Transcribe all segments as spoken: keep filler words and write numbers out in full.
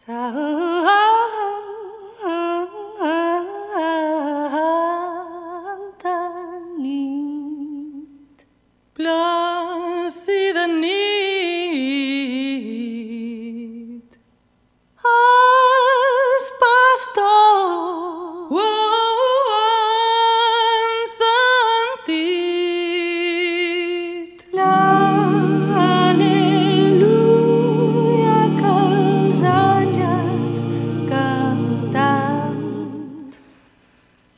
Santa nit, plàcida nit, els pastors ho han sentit, l'al·leluia que els àngels cantant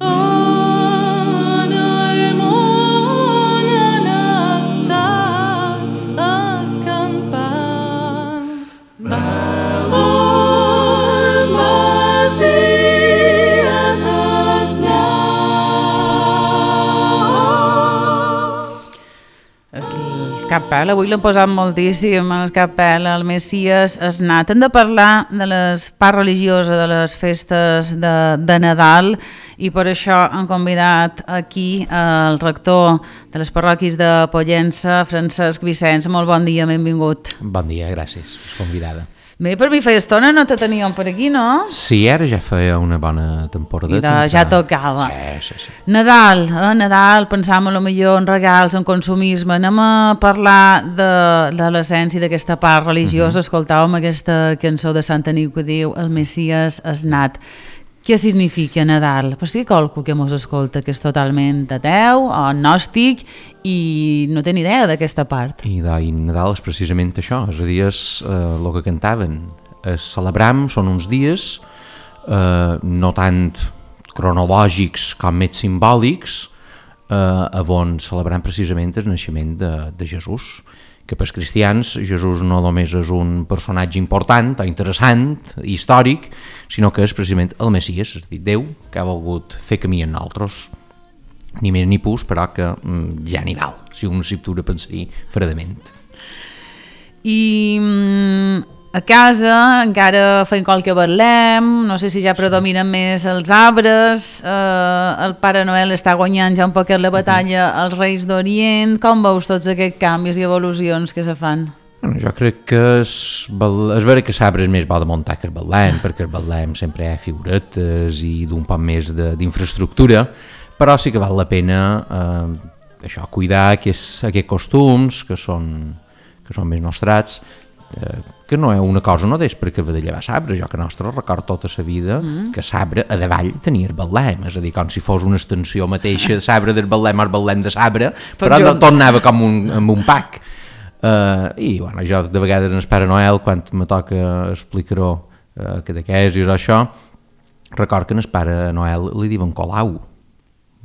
en el món han estat escampant. El Messies és nat. El capel, avui l'hem posat moltíssim, el capel, el Messies és nat. Hem de parlar de les parts religioses, de les festes de, de Nadal, i per això hem convidat aquí el rector de les parròquies de Pollença, Francesc Vicenç. Molt bon dia, benvingut. Bon dia, gràcies, convidada. Bé, per mi feia estona no te teníem per aquí, no? Sí, ara ja feia una bona temporada. Mira, ja tocava. Sí, sí, sí. Nadal, eh? Nadal, pensàvem a lo millor en regals, en consumisme. Anem a parlar de, de l'essència d'aquesta part religiosa. Uh-huh. Escoltàvem aquesta cançó de Santa Nit que diu El Messies és nat. Què significa Nadal? Però sí, qualcú que mos escolta que és totalment ateu o gnòstic i no té ni idea d'aquesta part. I, de, i Nadal és precisament això, és a dir, és eh, el que cantaven. Es celebram, són uns dies eh, no tant cronològics com més simbòlics, eh, on celebrem precisament el naixement de, de Jesús, que pels cristians Jesús no només és un personatge important o interessant, històric, sinó que és precisament el Messies, és a dir, Déu que ha volgut fer camí en nosaltres, ni més ni pus, però que mm, ja n'hi val, si un s'hi tura a pensar fredament. I mm, a casa encara feim qualque betlem, no sé si ja predominen més els arbres, eh, el Pare Noel està guanyant ja un poquet la batalla als Reis d'Orient. Com veus tots aquests canvis i evolucions que se fan? Bueno, jo crec que és, és vera que l'arbre és més bo de muntar que el betlem, perquè el betlem sempre hi ha figuretes i d'un poc més de, d'infraestructura, però sí que val la pena eh, això, cuidar aquests, aquests costums que són, que són més nostrats, eh, que no és una cosa no és perquè va de llevar sabre, jo que nostre record tota la vida mm. que sabre a davall tenia el betlem, és a dir, com si fos una extensió mateixa de sabre del betlem al betlem de sabre, però no, tot anava com un, amb un pack. Uh, i bueno, jo de vegades en el Pare Noel, quan me toca explicar-ho uh, que de què és i això, record que en el Pare Noel li diuen Colau,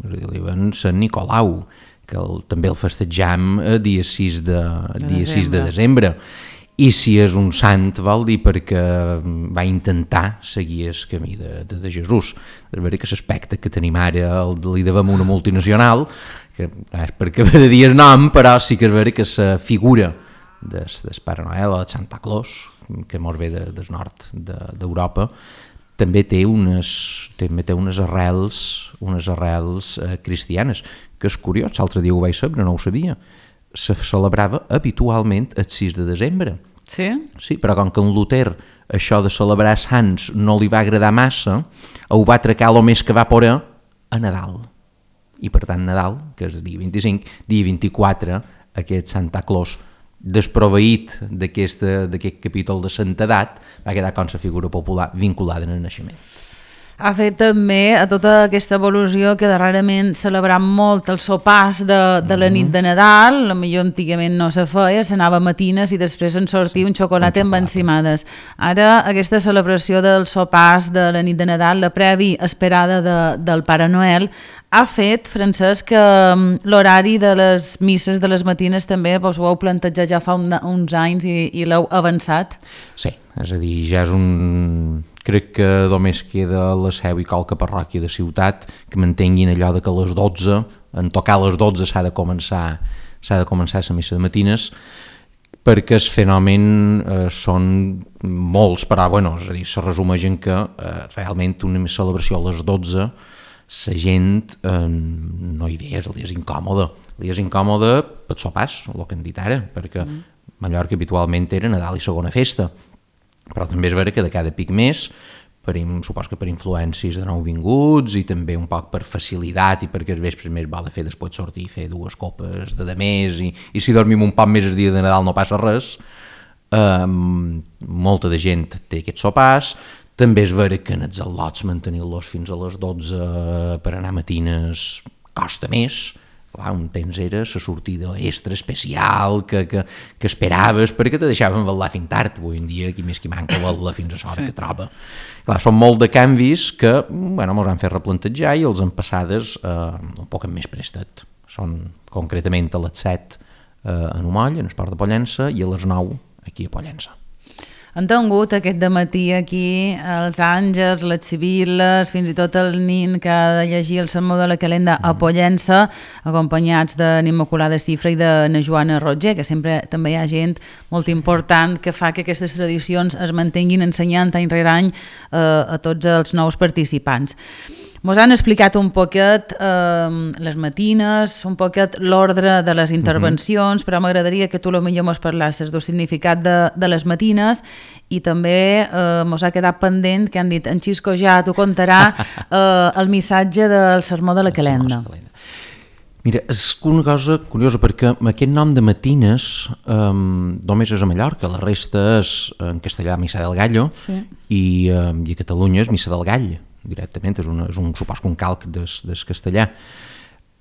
és a dir, li diuen Sant Nicolau, que el, també el festejam a dia sis de, de, dia sis de desembre. I si és un sant vol dir perquè va intentar seguir el camí de, de, de Jesús. És veritat que l'aspecte que tenim ara el, li devem una multinacional, que no és perquè va de dir el nom, però sí que és veritat que la figura del, del Pare Noel o de Santa Claus, que mos ve de, del nord de, d'Europa, també té unes, també té unes arrels, unes arrels eh, cristianes, que és curiós, l'altre dia ho vaig saber, no ho sabia. Se celebrava habitualment el sis de desembre. Sí? Sí, però com que en Luter això de celebrar sants no li va agradar massa, ho va tracar el més que va poder a Nadal. I per tant Nadal, que és el dia vint-i-cinc, dia vint-i-quatre, aquest Santa Claus desproveït d'aquest, d'aquest capítol de santedat, va quedar com la figura popular vinculada en el naixement. Ha fet també a tota aquesta evolució que darrerament celebram molt els sopars de, de la nit de Nadal, la millor antigament no se feia, s'anava a matines i després en sortia un xocolata amb encimades. Ara aquesta celebració dels sopars de la nit de Nadal, la previ esperada de, del Pare Noel, ha fet, Francesc, que l'horari de les misses de les matines també vos ho heu plantejat ja fa un, uns anys i, i l'heu avançat? Sí, és a dir, ja és un... Crec que només queda la seu i qualque parròquia de ciutat que mantenguin allò de que a les dotze, en tocar a les dotze s'ha de començar s'ha de començar la missa de matines, perquè el fenomen eh, són molts, però bueno, és a dir, se resumeix en que eh, realment una celebració a les dotze la gent eh, no hi és, li és incòmode, li és incòmode per sopars, el que hem dit ara, perquè mm. Mallorca habitualment era Nadal i segona festa. Però també és vera que de cada pic més, per, supos que per influències de nouvinguts i també un poc per facilitat i perquè els vespres més val de fer després sortir i fer dues copes de demés i, i si dormim un poc més el dia de Nadal no passa res. Um, molta de gent té aquests sopars. També és vera que en els al·lots mantenir-los fins a les dotze per anar a matines costa més. Clar, un temps era la sortida extra especial que, que, que esperaves perquè te deixaven vetllar fins tard. Avui en dia qui més qui manca vetllar fins a l'hora sí. que troba. Clar, són molt de canvis que bueno, mos han fet replantejar i els han passades eh, un poc amb més prestat. Són concretament a les set eh, en Umoll, en el Port de Pollença, i a les nou aquí a Pollença. Han tingut aquest dematí aquí els àngels, les sibil·les, fins i tot el nin que ha de llegir el sermó de la calenda a Pollença, acompanyats de l'Immaculada Cifra i de na Joana Roger, que sempre també hi ha gent molt important que fa que aquestes tradicions es mantinguin ensenyant any rere any eh, a tots els nous participants. Mos han explicat un poquet eh, les matines, un poquet l'ordre de les intervencions, uh-huh. però m'agradaria que tu potser mos parlasses del significat de, de les matines i també eh, mos ha quedat pendent que han dit en Xisco ja t'ho contarà eh, el missatge del sermó de la calenda. Mira, és una cosa curiosa perquè aquest nom de matines eh, només és a Mallorca, la resta és en castellà Missa del Gallo sí. i, eh, i a Catalunya és Missa del Gall. Directament, és, una, és un, supos que un calc des, des castellà.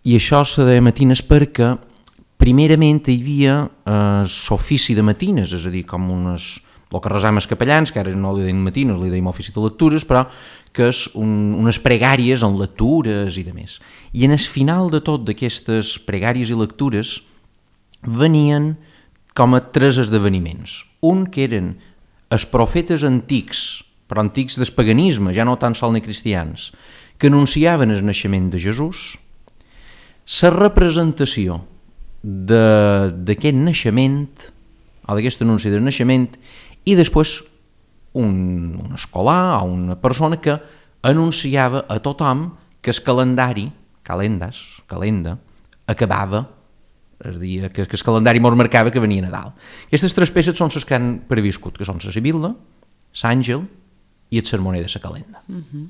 I això se deia matines perquè primerament hi havia eh, l'ofici de matines, és a dir, com unes, el que resam els capellans, que ara no li deim matines, li deim ofici de lectures, però que és un, unes pregàries en lectures i de més. I en el final de tot d'aquestes pregàries i lectures venien com a tres esdeveniments. Un que eren els profetes antics, però antics del paganisme, ja no tan sol ni cristians, que anunciaven el naixement de Jesús, la representació d'aquest naixement, o d'aquest anunci del naixement, i després un, un escolar o una persona que anunciava a tothom que el calendari, calendas, calenda, acabava, és a dir, que, que el calendari mos marcava que venia Nadal. Aquestes tres peces són les que han previscut, que són la Sibil·la, l'Àngel i el sermoner de la calenda. Uh-huh.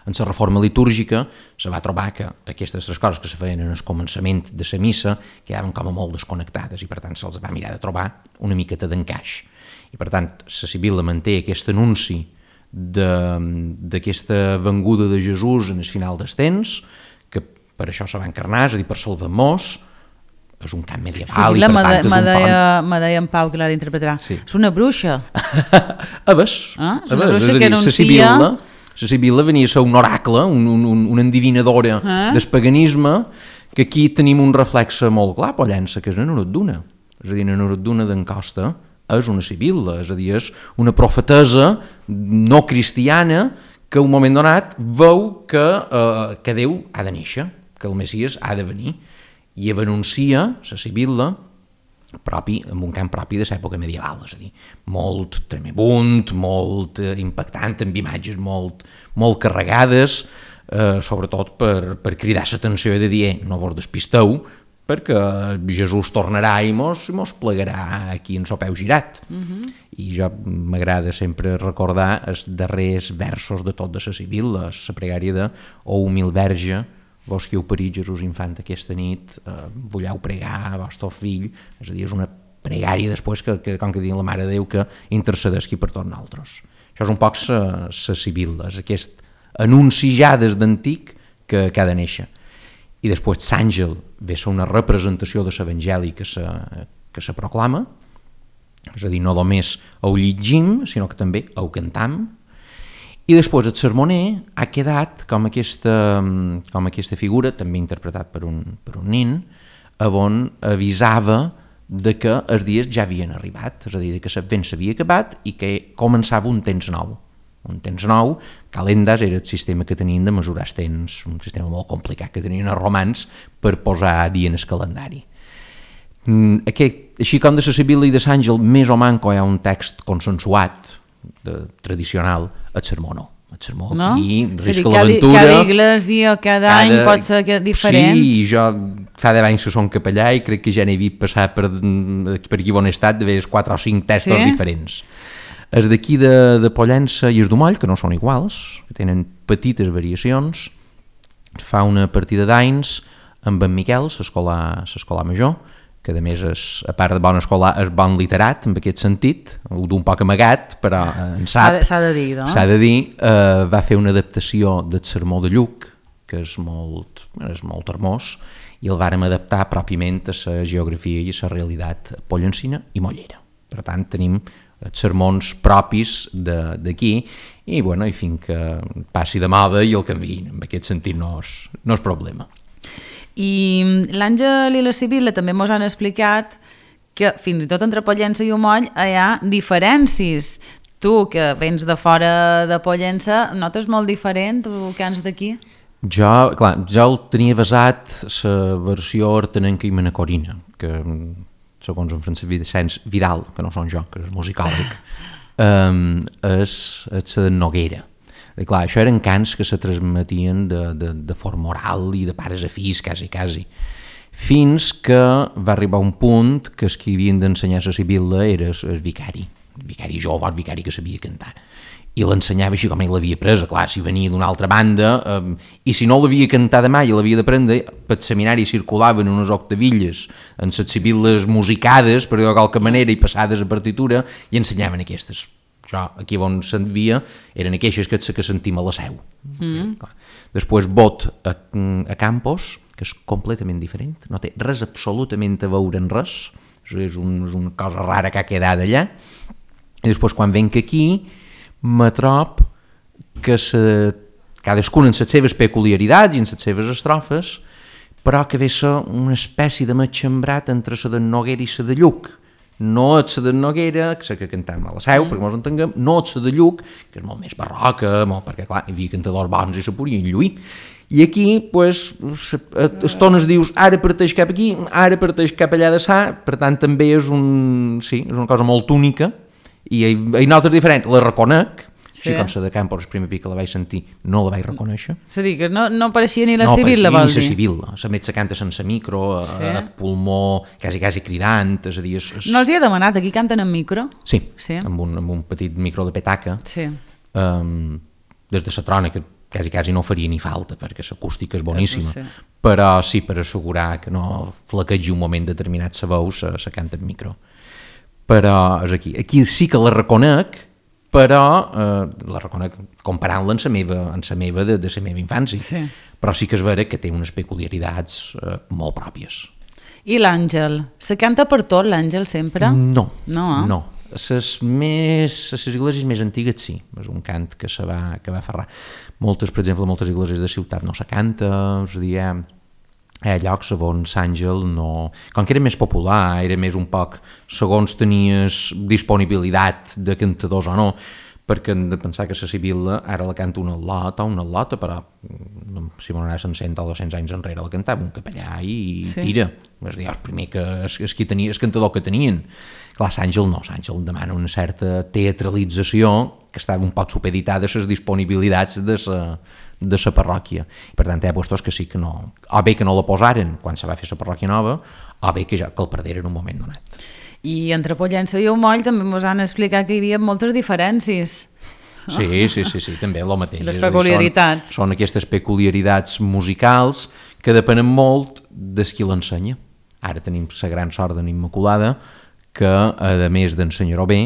En la reforma litúrgica se va trobar que aquestes tres coses que se feien en el començament de la missa quedaven com a molt desconnectades i per tant se'ls va mirar de trobar una miqueta d'encaix. I per tant la Sibil·la manté aquest anunci d'aquesta venguda de Jesús en el final dels temps, que per això se va encarnar, és a dir, per salvar-nos, és un cant medieval sí, i per tant és un pont... Me deia en Pau que l'ha d'interpretar. Sí. És una bruixa. a ves. Ah, és una a bruixa és que dir, anuncia... La Sibil·la, la Sibil·la venia a ser un oracle, un, un, un, una endivinadora ah. del paganisme, que aquí tenim un reflex molt clar, Pollença, que és una Noroduna. És a dir, una Noroduna d'en Costa és una Sibil·la, és a dir, és una profetesa no cristiana que un moment donat veu que, eh, que Déu ha de néixer, que el Messies ha de venir. I anuncia la Sibil·la propi, amb un cant propi de l'època medieval, és a dir, molt tremebunt, molt eh, impactant, amb imatges molt, molt carregades, eh, sobretot per, per cridar l'atenció i de dir, eh, no vos despisteu, perquè Jesús tornarà i mos, mos plegarà aquí en so peu girat. Uh-huh. I jo m'agrada sempre recordar els darrers versos de tot de la Sibil·la, la pregària de «O humil verge, vos que heu parit Jesús infant aquesta nit, eh, volleu pregar a vostre fill», és a dir, és una pregària després que, que com que diuen la Mare de Déu, que intercedesqui per tots nosaltres. Això és un poc la Sibil·la, és aquest anunci ja des d'antic que, que ha de néixer. I després l'àngel ve a ser una representació de l'Evangeli que se, que se proclama, és a dir, no només ho llegim, sinó que també ho cantam. I després el sermoner ha quedat com aquesta, com aquesta figura, també interpretat per un, per un nin, on avisava de que els dies ja havien arribat, és a dir, que l'Advent s'havia acabat i que començava un temps nou. Un temps nou, calendas era el sistema que tenien de mesurar els temps, un sistema molt complicat que tenien els romans per posar dia en el calendari. Aquest, així com de la Sibil·la i de l'Àngel, més o manco hi ha un text consensuat, de, tradicional, el sermó no. El sermó no? Aquí risca l'aventura. Cada església, cada, cada any pot ser diferent. Sí, jo fa deu anys que som capellà i crec que ja n'he vist passar per, per aquí on he estat de veure quatre o cinc textos sí? diferents. Els d'aquí de, de Pollença i els d'Umoll, que no són iguals, que tenen petites variacions, fa una partida d'anys amb en Miquel, l'escolar major, que a més, és, a part de bon escolar, és bon literat, en aquest sentit, d'un poc amagat, però en sap. S'ha de dir, no? S'ha de dir, eh, va fer una adaptació del Sermó de Lluc, que és molt, és molt hermós, i el vàrem adaptar pròpiament a la geografia i a la realitat pollencina i mollera. Per tant, tenim els sermons propis d'aquí i, bueno, i fins que passi de moda i el canviïn. En aquest sentit no és, no és problema. I l'Àngel i la Sibil·la també ens han explicat que fins i tot entre Pollença i Umoll hi ha diferències. Tu, que vens de fora de Pollença, notes molt diferent o que ans d'aquí? Jo, clar, jo el tenia basat la versió hortenenca i manacorina, que segons en Francesc Vicenç Vidal, que no són jo, que és musicòleg, um, és, és la Noguera. I clar, això eren cants que se transmetien de, de, de forma oral i de pares a fills, quasi, quasi. Fins que va arribar un punt que els que havien d'ensenyar la Sibil·la era el vicari, el vicari jove, el vicari que sabia cantar. I l'ensenyava així com ell l'havia presa, clar, si venia d'una altra banda, eh, i si no l'havia cantada mai i l'havia d'aprendre, pel seminari circulaven unes octavilles en les sibil·les musicades, per dir-ho de qualque manera, i passades a partitura, i ensenyaven aquestes. Jo, aquí on s'envia, eren aquelles que, que sentim a la Seu. Mm. Després Bot a, a Campos, que és completament diferent, no té res absolutament a veure en res, és, un, és una cosa rara que ha quedat allà, i després quan venc aquí, me trob que se, cadascuna en les seves peculiaritats i en les seves estrofes, però que ve ser una espècie de matxembrat entre la de Noguera i la de Lluc. No és la de Noguera, que és la que cantam a la Seu, mm. perquè mos entenguem, no és la de Lluc, que és molt més barroca, molt, perquè clar, hi havia cantadors bons i se podien lluir. I aquí, pues, estones dius, ara parteix cap aquí, ara parteix cap allà de sa, per tant també és, un, sí, és una cosa molt única, i hi notes diferent, la reconec, sí. Així com la de Campos, el primer pic que la vaig sentir, no la vaig reconèixer. És a dir, que no, no apareixia ni la no Sibil·la, vol dir? No apareixia ni la Sibil·la, la met se canta sense micro, sí. a pulmó, quasi, quasi cridant, és a dir... És, és... No els hi he demanat, aquí canten en micro? Sí, sí. Amb, un, amb un petit micro de petaca, sí. um, des de la trona, que quasi, quasi no faria ni falta, perquè l'acústica és boníssima, sí. Però sí, per assegurar que no flaquegi un moment determinat la veu, se, se canta en micro. Però és aquí. Aquí sí que la reconec, però eh, la reconec comparant-la amb la meva, amb la meva de, de la meva infància. Sí. Però sí que és vera que té unes peculiaritats eh, molt pròpies. I l'Àngel? Se canta per tot, l'Àngel, sempre? No, no. Eh? no. A les més, a les esglésies més antigues sí, és un cant que se va, que va aferrar. Moltes, per exemple, moltes esglésies de ciutat no se canta, és a dir, hi ha llocs segons Àngel no... Com que era més popular, era més un poc segons tenies disponibilitat de cantadors o no, perquè hem de pensar que la Sibil·la ara la canta una lota o una lota, però si m'ho cent o dos-cents anys enrere la cantava un capellà i sí. Tira. És a dir, el primer que és, és, qui tenia, és cantador que tenien. Clar, l'Àngel no, l'Àngel demana una certa teatralització que estava un poc supeditada a les disponibilitats de la de la parròquia. Per tant, hi ha puestos que sí que no... O bé que no la posaren quan se va fer la parròquia nova, o bé que ja que el perderen en un moment donat. I entre Pollença i Umoll també ens han explicat que hi havia moltes diferències. Sí, sí, sí, sí, també el mateix. Les peculiaritats. Són, són aquestes peculiaritats musicals que depenen molt de qui l'ensenya. Ara tenim la gran sort d'en Immaculada, que a més d'ensenyar-ho bé,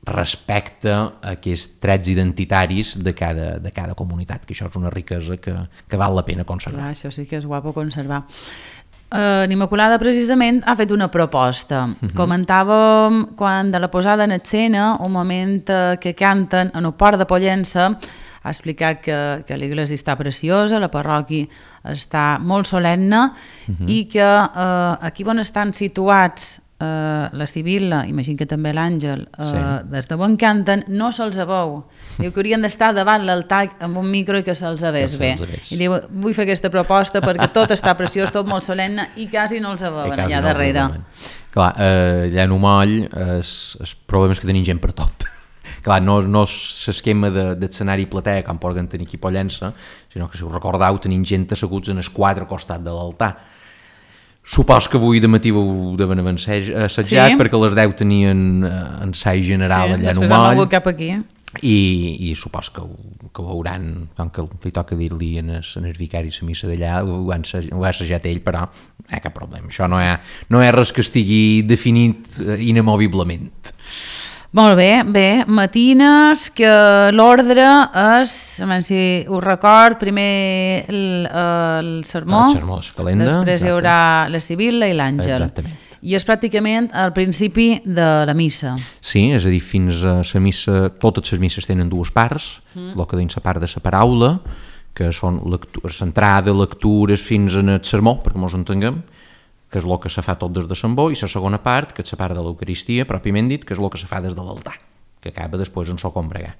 respecta aquests trets identitaris de cada, de cada comunitat, que això és una riquesa que, que val la pena conservar. Clar, això sí que és guapo conservar. Uh, Immaculada precisament ha fet una proposta. Uh-huh. Comentàvem quan de la posada en escena, un moment uh, que canten en el port de Pollença, ha explicat que, que l'església està preciosa, la parròquia està molt solemne, uh-huh. i que uh, aquí on estan situats Uh, la Sibil·la, imagino que també l'Àngel, uh, sí. Des de on canten, no se'ls veu. Diu que haurien d'estar davant l'altar amb un micro i que se'ls veiés bé. I diu, vull fer aquesta proposta perquè tot està preciós, tot molt solemne, i quasi no els veuen allà no darrere. Clar, eh, allà en Umoll el problema és que tenim gent per tot. Clar, no, no és l'esquema de, d'escenari platea com poden tenir aquí a Pollença, sinó que si us recordeu tenim gent asseguts en el quatre costat de l'altar. Supos que avui de matí ho deven haver assajat, Sí? perquè a les deu tenien eh, ensaig general Sí, allà en després hem Umoll, hagut cap aquí. i, i supos que ho, que ho veuran, com que li toca dir-li en el, en el vicari la missa d'allà, ho, han assaj- ho ha assajat ell, però no hi ha cap problema. Això no hi ha, no hi ha res que estigui definit eh, inamoviblement. Molt bé, bé, matines, que l'ordre és, a veure si ho record, primer el, el sermó, El sermó de la calenda, després hi exacte. haurà la Sibil·la i l'Àngel. Exactament. I és pràcticament al principi de la missa. Sí, és a dir, fins a la missa, totes les misses tenen dues parts, mm. el que deien la part de la paraula, que són lectures, entrada, lectures fins en el sermó, perquè mos entenguem, que és el que se fa tot des de Sant Bó, i la segona part, que és la part de l'Eucaristia, pròpiament dit, que és el que se fa des de l'altar, que acaba després en so combregar.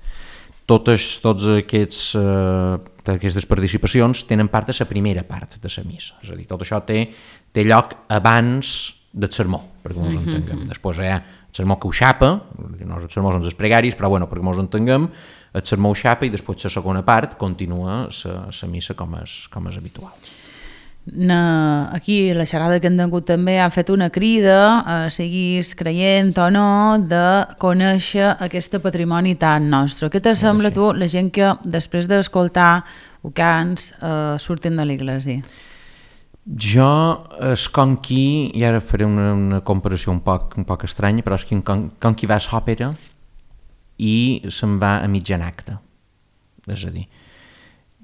Totes, tots aquests, eh, aquestes participacions tenen part de la primera part de la missa, és a dir, tot això té, té lloc abans del sermó, perquè mos Mhm. entenguem. Després hi ha el sermó que ho xapa, no els sermó són els pregaris, però bueno, perquè mos entenguem, el sermó ho xapa i després la segona part continua la missa com és, com és habitual. Na, aquí la xerrada que hem tingut també ha fet una crida, eh, siguis creient o no, de conèixer aquest patrimoni tan nostre. Què te sembla sí. tu, la gent que després d'escoltar cants eh, surten de l'església? Jo, és com qui, i ara faré una, una comparació un poc, un poc estranya, però és com, com qui va a l'òpera i se'n va a mitjan acte. És a dir,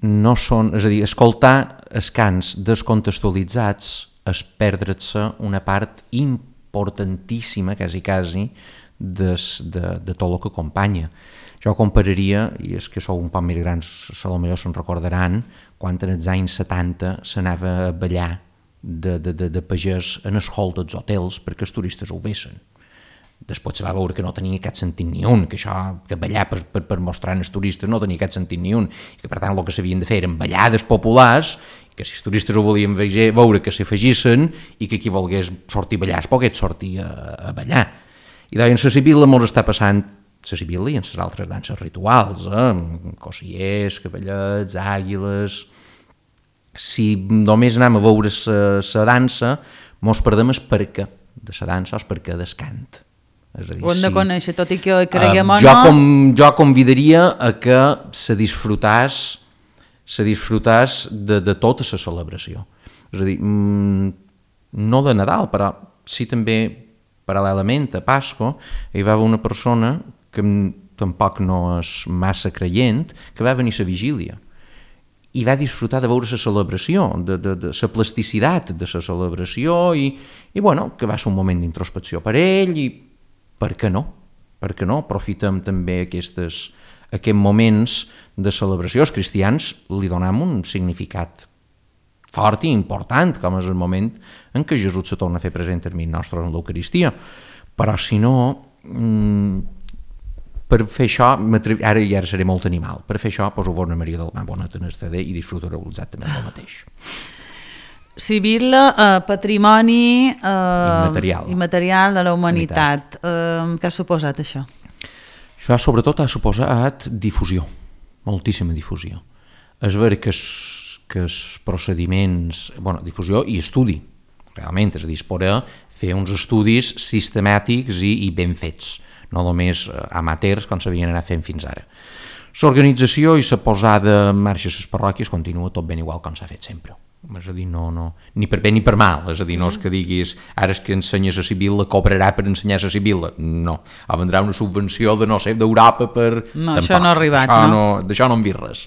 no són, és a dir, escoltar els cants descontextualitzats és perdre-se una part importantíssima, quasi, quasi, des, de, de tot el que acompanya. Jo compararia, i és que sou un poc més grans, a lo millor se'n recordaran, quan en els anys setanta s'anava a ballar de, de, de, de pagès en el hall dels hotels perquè els turistes ho vessin. Després se va veure que no tenia cap sentit ni un, que això, que ballar per, per, per mostrar als turistes no tenia cap sentit ni un, i que per tant el que s'havien de fer eren ballades populars, i que si els turistes ho volien veure que s'afegissin i que qui volgués sortir a ballar es pogués sortir a, a ballar. I deien, la Sibil·la mos està passant, la Sibil·la i en les altres danses rituals, eh? Cossiers, cavallets, àguiles... Si només anem a veure la dansa, mos perdem el perquè de la dansa o el perquè del cant. És a dir, Ho hem de si, conèixer, tot i que creguem uh, o jo, no. com, jo convidaria a que se disfrutàs, se disfrutàs de, de tota la celebració. És a dir, mm, no de Nadal, però sí també paral·lelament a Pasco hi va haver una persona que tampoc no és massa creient, que va venir a la vigília i va disfrutar de veure la celebració, de, de, de la plasticitat de la celebració i, i bueno, que va ser un moment d'introspecció per ell i per què no? Per què no? Aprofitem també aquestes, aquests moments de celebració. Els cristians li donem un significat fort i important, com és el moment en què Jesús se torna a fer present en mi nostre en l'Eucaristia. Però si no, mmm, per fer això, ara i ara seré molt animal, per fer això poso Bona Maria del Mar Bonet en el C D i disfrutareu exactament el mateix. Sibil·la, eh, patrimoni eh, Immaterial. immaterial de la humanitat. Eh, què ha suposat això? Això sobretot ha suposat difusió, moltíssima difusió. És ver que els, que els procediments, bueno, difusió i estudi, realment, és a dir, es podrà fer uns estudis sistemàtics i, i ben fets, no només amateurs com s'havien anat fent fins ara. L'organització i la posada en marxa a les parròquies continua tot ben igual com s'ha fet sempre. És a dir, no, no, ni per bé ni per mal, és a dir, no és que diguis ara és que ensenyes a Sibil·la, cobrarà per ensenyar a Sibil·la, no, o vendrà una subvenció de no sé, d'Europa per... No, Tampoc. això no ha arribat, això no? no d'això no en vist res.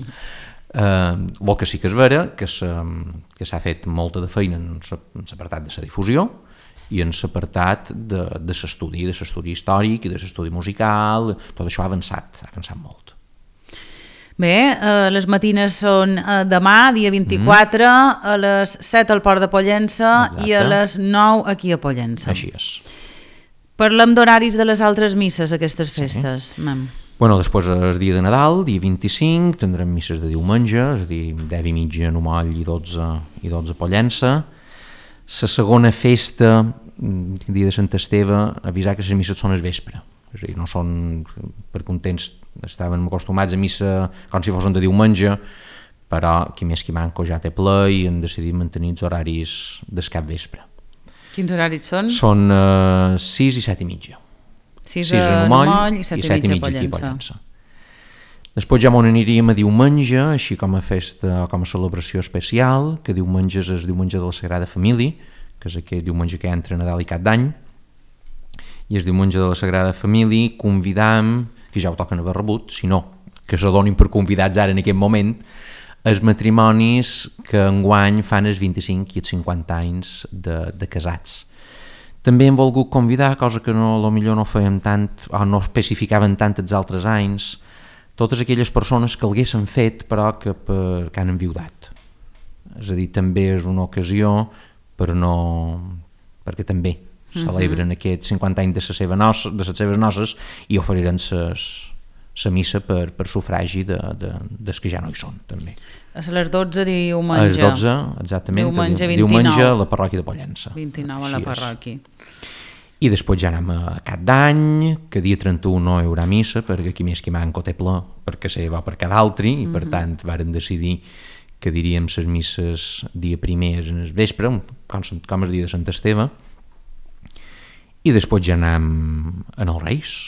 Uh, el que sí que és vera que s'ha fet molta de feina en l'apartat de la difusió i en l'apartat de, de l'estudi, de l'estudi històric i de l'estudi musical, tot això ha avançat, ha avançat molt. Bé, eh, les matines són eh, demà, dia vint-i-quatre, mm. a les set al Port de Pollença. Exacte. I a les nou aquí a Pollença. Així és. Parlem d'horaris de les altres misses, aquestes festes. Sí. Bueno, després és dia de Nadal, dia vint-i-cinc, tindrem misses de diumenge, és a dir, deu i mitja a Umoll i dotze, i dotze a Pollença. La segona festa, dia de Sant Esteve, avisar que les misses són al vespre. És a dir, no són, perquè un temps estaven acostumats a missa com si fossin de diumenge, però qui més qui manco ja té ple i han decidit mantenir els horaris del cap vespre. Quins horaris són? Són uh, sis i set i mitja. sis sis a en Moll Moll i set i set i i mitja mitja aquí a Pollença. Pollença. Després ja m'on aniríem a diumenge, així com a festa, com a celebració especial, que diumenge és el diumenge de la Sagrada Família, que és aquell diumenge que hi ha entre Nadal i Cap d'Any, i el diumenge de la Sagrada Família convidam, que ja ho toquen haver rebut, si no, que se donin per convidats ara en aquest moment, els matrimonis que enguany fan els vint-i-cinc i els cinquanta anys de, de casats. També hem volgut convidar, cosa que no, a lo millor no fèiem tant, o no especificaven tant els altres anys, totes aquelles persones que l'haguessin fet però que, per, que han enviudat. És a dir, també és una ocasió per no, perquè també celebren uh-huh. aquests cinquanta anys de les seves noces, de les seves noces i oferiran la missa per, per sufragi de, de, dels que ja no hi són, també. A les dotze diumenge. A les dotze, exactament, diumenge, diumenge a la parròquia de Pollença. vint-i-nou a la parròquia. I després ja anem a Cap d'Any, que dia trenta-u no hi haurà missa, perquè aquí més que manco té ple, perquè se va per cada altre, i per mm-hmm. tant varen decidir que diríem les misses dia primer en el vespre, com, com el dia de Sant Esteve, i després ja anem en els Reis,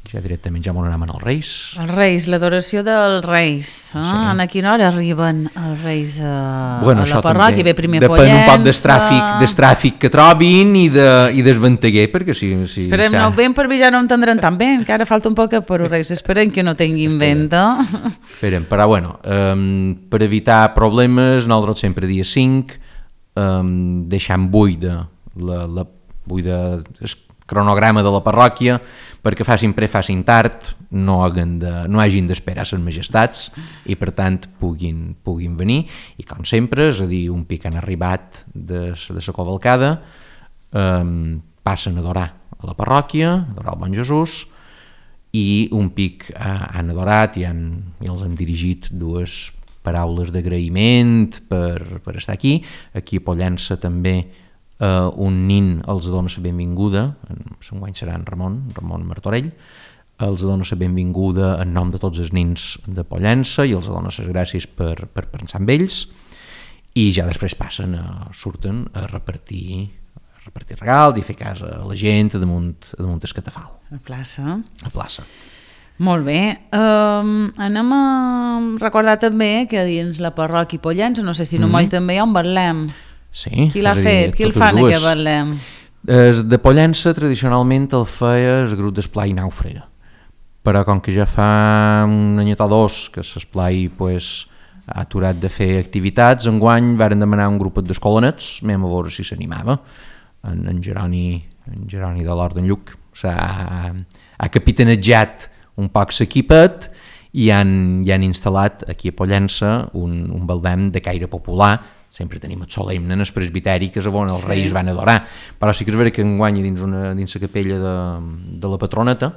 ja directament ja m'on anem en els Reis. Els Reis, l'adoració dels Reis. Ah, sí. A quina hora arriben els Reis a, bueno, a la parròquia? Ve primer depèn Pollença... un poc del tràfic, del tràfic que trobin i, de, i del venteguer, perquè si... si Esperem, ja... no, ben per vi ja no entendran tan bé, encara falta un poc per els Reis, esperem que no tinguin venta. Esperem, però bueno, um, per evitar problemes, nosaltres sempre dia cinc, um, deixant buida la, la buida, el cronograma de la parròquia, perquè facin pre, facin tard, no, de, no hagin d'esperar les majestats i per tant puguin, puguin venir, i com sempre, és a dir, un pic han arribat de, de la cavalcada, um, passen a adorar a la parròquia, a adorar el bon Jesús, i un pic uh, han adorat i, han, i els hem dirigit dues paraules d'agraïment per, per estar aquí. Aquí a Pollença també Uh, un nin els dona la benvinguda, enguany serà en Ramon, Ramon Martorell, els dona la benvinguda en nom de tots els nins de Pollença i els dona les gràcies per, per pensar en ells, i ja després passen a, surten a repartir, a repartir regals i fer casa a la gent damunt, damunt el catafal. A plaça. A plaça. Molt bé. Um, anem a recordar també que dins la parròquia Pollença, no sé si no mm-hmm. moll també hi ha un betlem. Sí, qui l'ha fet? Qui el fa en aquest betlem? De Pollença tradicionalment el feia el grup d'esplai Nàufrega, però com que ja fa un anyet o dos que l'esplai pues, ha aturat de fer activitats, enguany varen demanar un grupet d'escolanets, anem a veure si s'animava. En, en, Jeroni, en Jeroni de l'Hort d'en Lluc s'ha ha capitanejat un poc l'equipet i han, i han instal·lat aquí a Pollença un, un betlem de caire popular. Sempre tenim el solemne en el presbiteri, que és on els sí. Reis van adorar, però sí que és vera que enguany dins, una, dins la capella de, de la patroneta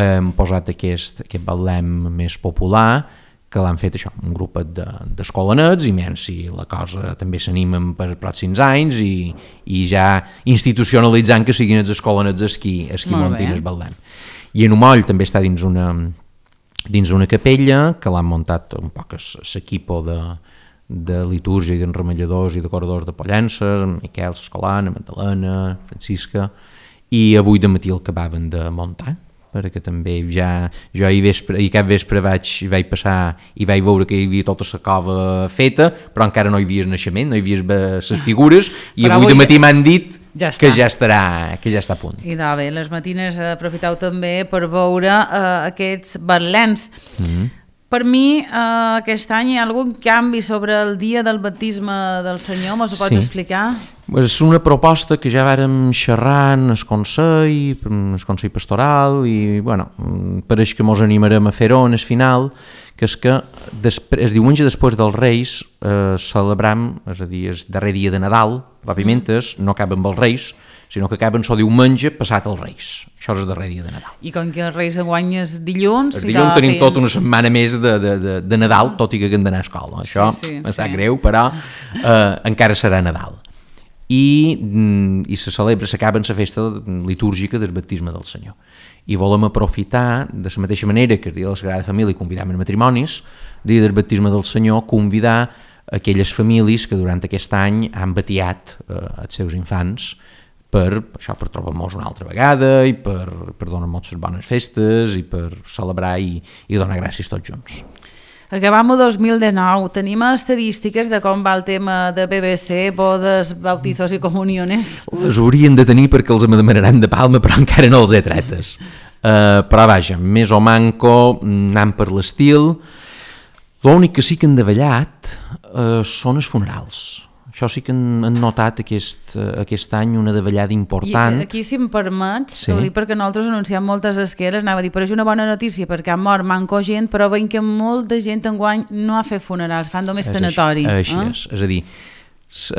hem posat aquest, aquest betlem més popular, que l'han fet això, un grupet d'escolanets, de, i menys si la cosa també s'animen per pròxims anys i, i ja institucionalitzant que siguin els escolanets els qui, els qui muntin el betlem. I en Umoll també està dins una, dins una capella que l'han muntat un poc l'equipo de de litúrgia i d'enremelladors i de corredors de Pollença, Miquel Escolana, Magdalena, Francisca, i avui de matí el acabaven de muntar, perquè també ja, jo ahir, vespre, ahir cap vespre vaig, vaig passar i vaig veure que hi havia tota la cova feta, però encara no hi havia el naixement, no hi havia les figures, i avui, avui de matí m'han dit ja que, ja estarà, que ja està a punt. I de bé, les matines aprofiteu també per veure uh, aquests betlens. Mm-hmm. Per mi, eh, aquest any hi ha algun canvi sobre el dia del baptisme del Senyor, mos ho pots sí. explicar? És una proposta que ja vàrem xerrar en el Consell, el Consell Pastoral, i bueno, pareix que mos animarem a fer-ho en el final, que és que després, el diumenge després dels Reis eh, celebram, és a dir, el darrer dia de Nadal, pròpiament mm. no acaba amb els Reis, sinó que acaben el diumenge passat els Reis. Això és el darrer dia de Nadal. I com que els Reis enguany és dilluns... El dilluns tenim fins... tota una setmana més de, de, de, de Nadal, tot i que hem d'anar a escola. Això sí, sí, em sap sí. greu, però eh, encara serà Nadal. I, i se celebra, s'acaba la festa litúrgica del baptisme del Senyor. I volem aprofitar, de la mateixa manera que el dia de la Sagrada Família convidam els matrimonis, el dia del baptisme del Senyor, convidar aquelles famílies que durant aquest any han batiat eh, els seus infants per, això, per trobar-nos una altra vegada i per, per donar-nos les bones festes i per celebrar i, i donar gràcies tots junts. Acabam el dos mil dinou. Tenim estadístiques de com va el tema de B B C, bodes, bautizos i comuniones? Les haurien de tenir perquè els demanaran de palma, però encara no els he tretes. Uh, però vaja, més o manco, anant per l'estil. L'únic que sí que han davallat uh, són els funerals. Això sí que han, han notat aquest, uh, aquest any una davallada important. I aquí, si em permets, sí. ho dic perquè nosaltres anunciem moltes esqueres, anava a dir, però és una bona notícia perquè ha mort manco gent, però veiem que molta gent enguany no ha fet funerals, fan només és tanatori. Així, eh? així és. És a dir,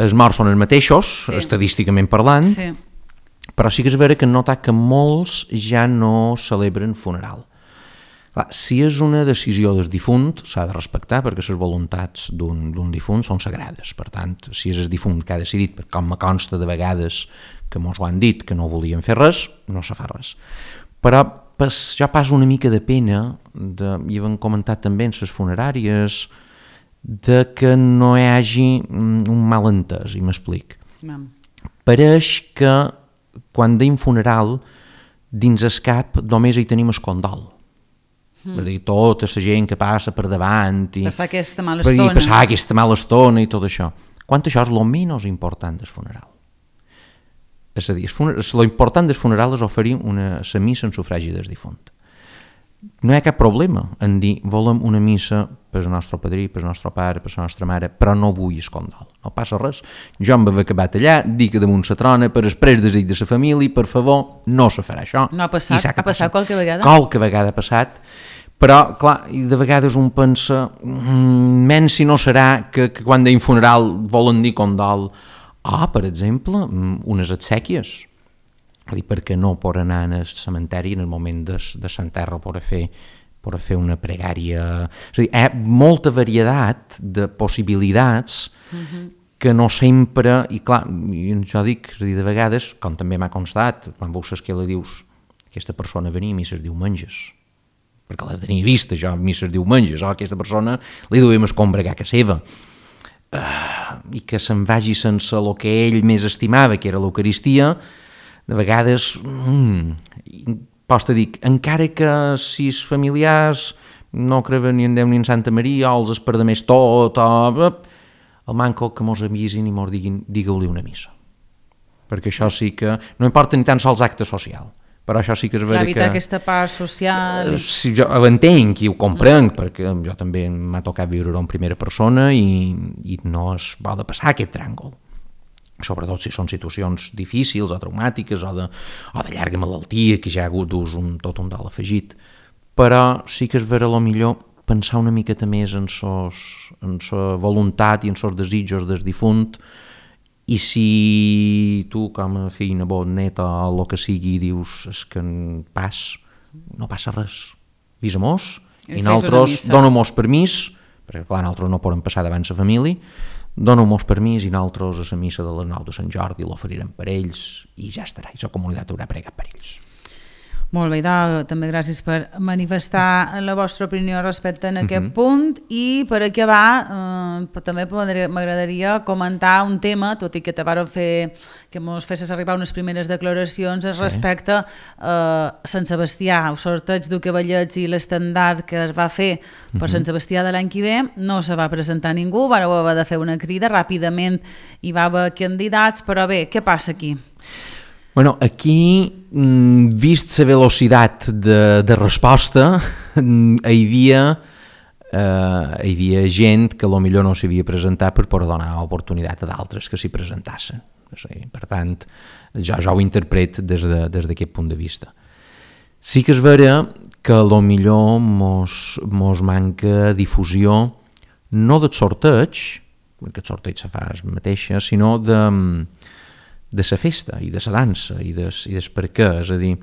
els morts són els mateixos, sí. estadísticament parlant, Sí. però sí que és vera que han notat que molts ja no celebren funeral. Clar, si és una decisió del difunt, s'ha de respectar perquè les voluntats d'un difunt són sagrades. Per tant, si és el difunt que ha decidit, perquè com me consta de vegades que mos ho han dit que no volien fer res, no se fa res. Però pas, ja passa una mica de pena, de, i hem comentat també en les funeràries, de que no hi hagi un malentès, i m'explic. Mam. Pareix que quan deim funeral, dins el cap només hi tenim el condol. Mm. És a dir, tota la gent que passa per davant i Passar aquesta mala per, estona. i passar aquesta mala estona i tot això. Quan això és el menys important del funeral. És a dir, l'important del funeral és oferir una, la missa en sufragi del difunt. No hi ha cap problema en dir volem una missa per al nostre padrí, per al nostre pare, per la nostra mare, però no vull el condol. No passa res. Jo em vaig acabat allà, dic damunt la trona, per exprés desig de la família, per favor, no se farà això. No ha passat? Ha passat qualque vegada? Qualque vegada ha passat, però, clar, de vegades un pensa, mmm, menys si no serà que, que quan deim funeral volen dir condol. Ah, per exemple, unes exèquies. Dir, perquè no per anar al cementeri en el moment de, de s'enterra per a fer per a fer una pregària. És a dir, hi ha molta varietat de possibilitats uh-huh. que no sempre, i clar, jo dic, és a dir, de vegades, com també m'ha constat, quan veus l'esquela dius, aquesta persona venia a misses diumenges, perquè la tenia vista jo, misses diumenges, o aquesta persona li duem escombra a casa seva. Uh, i que se'n vagi sense el que ell més estimava, que era l'Eucaristia, de vegades, mm, pots dir, encara que si els familiars no creuen ni en Déu ni en Santa Maria, o els espera més tot, o, el manco que mos avisin i mos diguin, digueu-li una missa. Perquè això sí que, no importa ni tan sols acte social, però això sí que és vera que... evitar aquesta part social... Si jo ho entenc i ho comprenc, perquè jo també m'ha tocat viure-ho en primera persona i, i no es va de passar aquest tràngol. Sobretot si són situacions difícils o traumàtiques o de, o de llarga malaltia, que ja ha hagut d'ús un, tot un dalt afegit. Però sí que és vera lo millor pensar una miqueta més en sos, en sa voluntat i en sos desitjos del difunt, i si tu com a fill, nebot, net o el que sigui dius és que pas, no passa res, avisa-mos i nosaltres dona-mos permís, perquè clar, nosaltres no podem passar davant la família, dona-mos permís i nosaltres a la missa de les nou de Sant Jordi l'oferirem per ells i ja estarà, i la comunitat haurà pregat per ells. Molt bé, da, també gràcies per manifestar la vostra opinió respecte en aquest uh-huh. punt, i per acabar eh, també m'agradaria comentar un tema, tot i que te varen fer que ens fessis arribar unes primeres declaracions sí. respecte a eh, Sant Sebastià, el sorteig de cavallets i l'estendard que es va fer per uh-huh. Sant Sebastià de l'any que ve, no se va presentar ningú, vareu haver de fer una crida, ràpidament hi va haver candidats, però bé, què passa aquí? Bueno, aquí, vist la velocitat de, de resposta, hi havia, eh, hi havia gent que potser no s'havia presentat per poder donar oportunitat a d'altres que s'hi presentassin. Per tant, jo, jo ho interpret des de, des d'aquest punt de vista. Sí que és vera que potser mos, mos manca difusió, no del sorteig, perquè el sorteig se fa el mateix, sinó de... de la festa i de la dansa i des, i des per què, és a dir,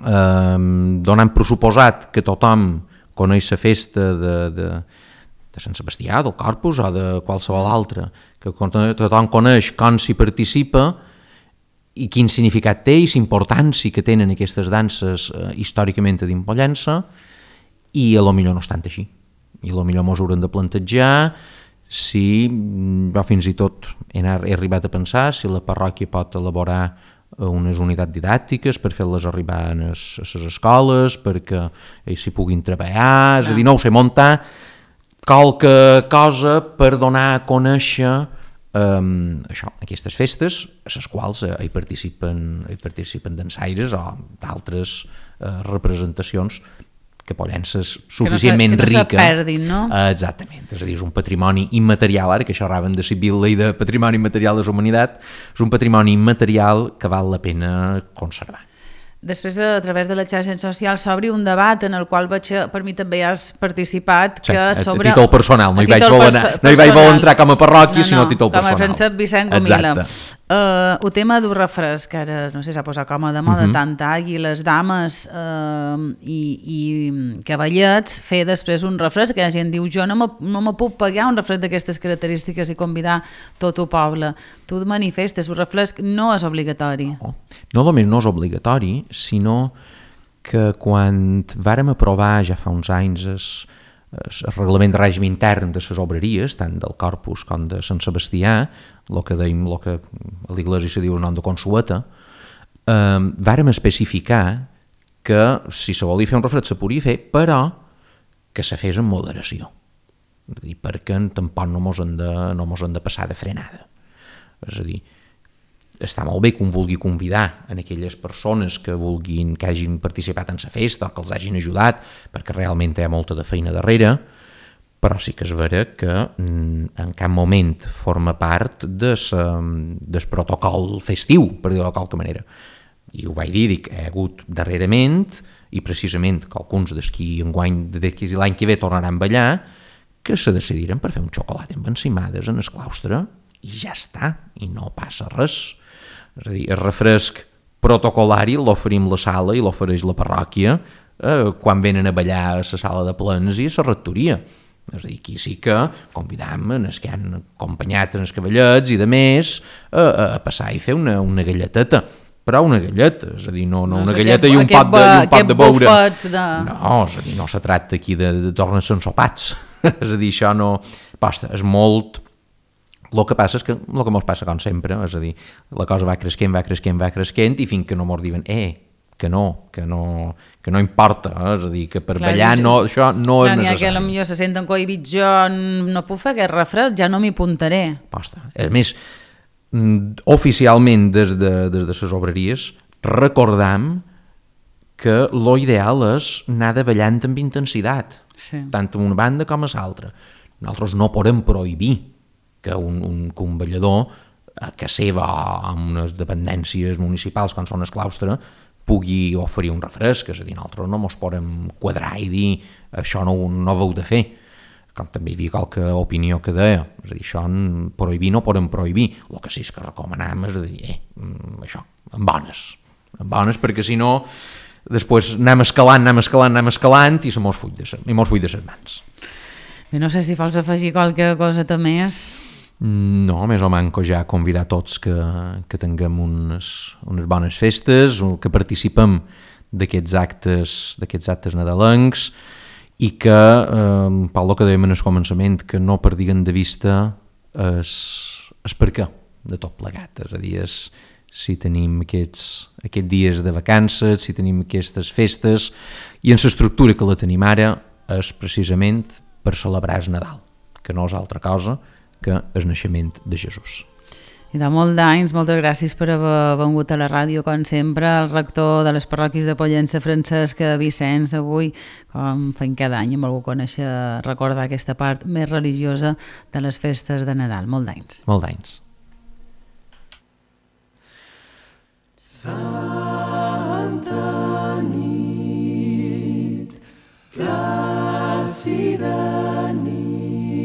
eh, donant per suposat que tothom coneix la festa de, de, de Sant Sebastià, del Corpus o de qualsevol altra, que tothom coneix com s'hi participa i quin significat té i la importància que tenen aquestes danses eh, històricament a dins Pollença, i a lo millor no és tant així, i a lo millor mos haurem de plantejar si jo fins i tot he, he arribat a pensar si la parròquia pot elaborar unes unitats didàctiques per fer-les arribar a les, a les escoles, perquè ells s'hi puguin treballar, és a dir, no ho sé, muntar qualque cosa per donar a conèixer um, això, aquestes festes, a les quals eh, hi participen, hi participen dansaires o d'altres eh, representacions que poden ser suficientment que no se, que no rica. se perdin, no? Uh, exactament, és a dir, és un patrimoni immaterial, ara que això raven de civil i de patrimoni immaterial de la humanitat, és un patrimoni immaterial que val la pena conservar. Després, a través de les xarxes socials, s'obri un debat en el qual veig, per mi també has participat, Sí, que a, sobre... a títol personal, no hi vaig títol voler, perso no hi vaig voler entrar com a parròquia, no, no, sinó a títol com personal. a Francesc Vicent Gomila. Exacte. Uh, el tema d'un refresc, que ara no sé, s'ha posat com a de moda, uh Mhm. -huh. tant tall, i les dames uh, i, i cavallets fer després un refresc, que la gent diu jo no me, no me puc pagar un refresc d'aquestes característiques i convidar tot el poble. Tu et manifestes, un refresc no és obligatori. No, no només no és obligatori, sinó que quan vàrem aprovar ja fa uns anys es, es, el reglament de règim intern de les obreries, tant del Corpus com de Sant Sebastià, el que deim, el que a l'Iglésia se diu el nom de consueta, eh, vàrem especificar que si se volia fer un refresc se podia fer, però que se fes amb moderació. És a dir, perquè tampoc no mos han de, no mos han de passar de frenada. És a dir, està molt bé que un vulgui convidar en aquelles persones que vulguin, que hagin participat en la festa o que els hagin ajudat, perquè realment hi ha molta de feina darrere, però sí que és vera que en cap moment forma part de sa, del protocol festiu, per dir-ho de qualque manera. I ho vaig dir, dic, hi ha hagut darrerament, i precisament que alguns d'aquí enguany, d'aquí l'any que ve tornaran a ballar, que se decidiren per fer un xocolat amb encimades en el claustre, i ja està, i no passa res. És a dir, el refresc protocolari l'oferim la sala i l'ofereix la parròquia eh, quan venen a ballar a la sala de plens i a la rectoria. És a dir, aquí sí que convidam els que han acompanyat en els cavallets i de més a, a passar i fer una, una galleteta, però una galleta, és a dir, no, no, no una galleta i un pot de, i un pot de beure. De... No, és a dir, no se tracta aquí de, de tornar-se ensopats. És a dir, això no... Posta, és molt... El que passa és que el que mos passa com sempre, és a dir, la cosa va creixent, va creixent, va creixent i fins que no mos diuen, eh, que no, que no, que no importa, eh? És a dir, que per clar, ballar no, això no clar, és necessari. Clar, n'hi ha que potser se senten cohibits, jo no puc fer aquest refresc, ja no m'hi apuntaré. Posta. A més, oficialment des de, des de les obreries recordam que lo ideal és anar de ballant amb intensitat, sí. tant en una banda com a l'altra. Nosaltres no podem prohibir que un, un, que un ballador que seva amb unes dependències municipals com són el claustre pugui oferir un refresc, és a dir, nosaltres no ens podem quadrar i dir això no, no ho heu de fer, com també hi havia qualque opinió que deia, és a dir, això prohibir no podem prohibir, el que sí és que recomanam és a dir, eh, això, amb bones, amb bones, perquè si no després anem escalant, anem escalant, anem escalant i se mos full de ses mans. Bé, no sé si vols afegir qualque cosa més. No, més o manco ja convidar tots que, que tinguem unes, unes bones festes, que participem d'aquests actes, d'aquests actes nadalencs i que, eh, pel que dèiem en el començament, que no perdiguin de vista es, es per què de tot plegat, és a dir, és, si tenim aquests, aquests dies de vacances, si tenim aquestes festes, i en l'estructura que la tenim ara és precisament per celebrar el Nadal, que no és altra cosa que el naixement de Jesús. I de molt d'anys, moltes gràcies per haver vengut a la ràdio, com sempre, el rector de les parròquies de Pollença, Francesc Vicenç, avui, com fem cada any, hem volgut conèixer, recordar aquesta part més religiosa de les festes de Nadal. Molt d'anys. Molt d'anys. Santa nit, plàcida